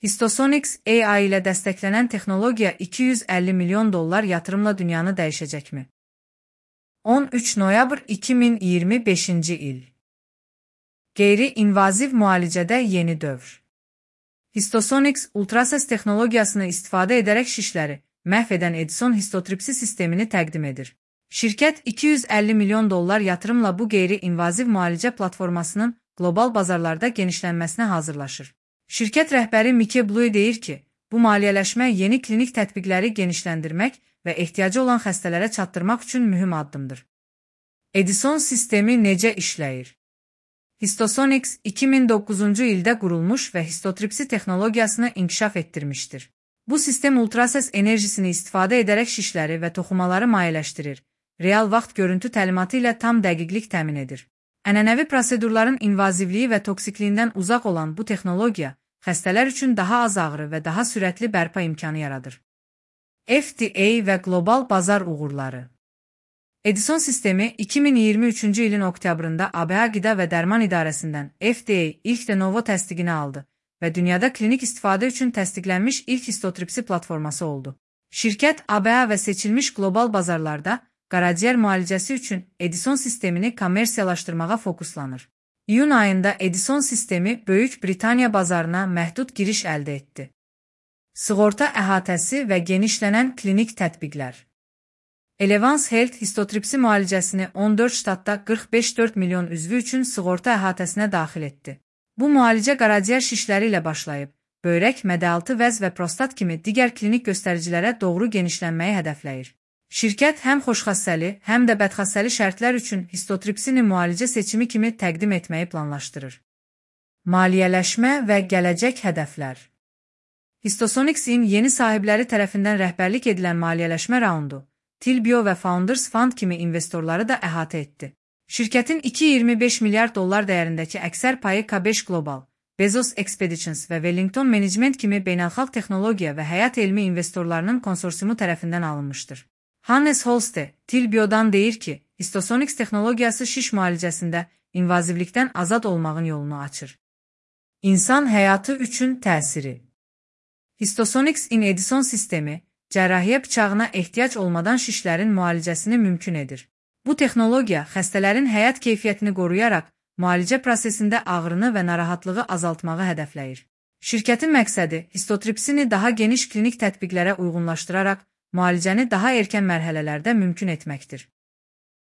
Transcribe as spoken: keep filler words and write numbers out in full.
Histosonics A I ilə dəstəklənən texnologiya iki yüz əlli milyon dollar yatırımla dünyanı dəyişəcəkmi? on üç noyabr iki min iyirmi beşinci il. Qeyri-invaziv müalicədə yeni dövr. Histosonics ultrases texnologiyasını istifadə edərək şişləri məhv edən Edison histotripsi sistemini təqdim edir. Şirkət iki yüz əlli milyon dollar yatırımla bu qeyri-invaziv müalicə platformasının qlobal bazarlarda genişlənməsinə hazırlaşır. Şirkət rəhbəri Mickey Blue deyir ki, bu maliyyələşmə yeni klinik tətbiqləri genişləndirmək və ehtiyacı olan xəstələrə çatdırmaq üçün mühüm addımdır. Edison sistemi necə işləyir? Histosonics iki min doqquzuncu ildə qurulmuş və histotripsi texnologiyasını inkişaf etdirmişdir. Bu sistem ultrases enerjisini istifadə edərək şişləri və toxumaları mayeləşdirir, real vaxt görüntü təlimatı ilə tam dəqiqlik təmin edir. Ənənəvi prosedurların invazivliyi və toksikliyindən uzaq olan bu texnologiya, xəstələr üçün daha az ağrı və daha sürətli bərpa imkanı yaradır. F D A və qlobal bazar uğurları. Edison sistemi iki min iyirmi üçüncü ilin oktyabrında A B A Qida və Dərman İdarəsindən F D A ilk de novo təsdiqini aldı və dünyada klinik istifadə üçün təsdiqlənmiş ilk histotripsi platforması oldu. Şirkət A B A və seçilmiş qlobal bazarlarda qaraciyər müalicəsi üçün Edison sistemini kommersiyalaşdırmağa fokuslanır. İyun ayında Edison sistemi Böyük Britaniya bazarına məhdud giriş əldə etdi. Sığorta əhatəsi və genişlənən klinik tətbiqlər. Elevance Health histotripsi müalicəsini on dörd ştatda qırx beş nöqtə dörd milyon üzvü üçün sığorta əhatəsinə daxil etdi. Bu müalicə qaraciyər şişləri ilə başlayıb, böyrək, mədə-altı vəz və prostat kimi digər klinik göstəricilərə doğru genişlənməyi hədəfləyir. Şirkət həm xoşxassəli, həm də bədxassəli şərtlər üçün histotripsini müalicə seçimi kimi təqdim etməyi planlaşdırır. Maliyyələşmə və gələcək hədəflər. Histosonics-in yeni sahibləri tərəfindən rəhbərlik edilən maliyyələşmə raundu, Tilbio və Founders Fund kimi investorları da əhatə etdi. Şirkətin iki virgül iyirmi beş milyard dollar dəyərindəki əksər payı K beş Global, Bezos Expeditions və Wellington Management kimi beynəlxalq texnologiya və həyat elmi investorlarının konsorsiumu tərəfindən alınmışdır. Hannes Holste, Tilbio'dan deyir ki, Histosonics texnologiyası şiş müalicəsində invazivlikdən azad olmağın yolunu açır. İnsan həyatı üçün təsiri. Histosonics-in Edison sistemi, cərrahiyyə bıçağına ehtiyac olmadan şişlərin müalicəsini mümkün edir. Bu texnologiya xəstələrin həyat keyfiyyətini qoruyaraq, müalicə prosesində ağrını və narahatlığı azaltmağı hədəfləyir. Şirkətin məqsədi histotripsini daha geniş klinik tətbiqlərə uyğunlaşdıraraq, müalicəni daha erkən mərhələlərdə mümkün etməkdir.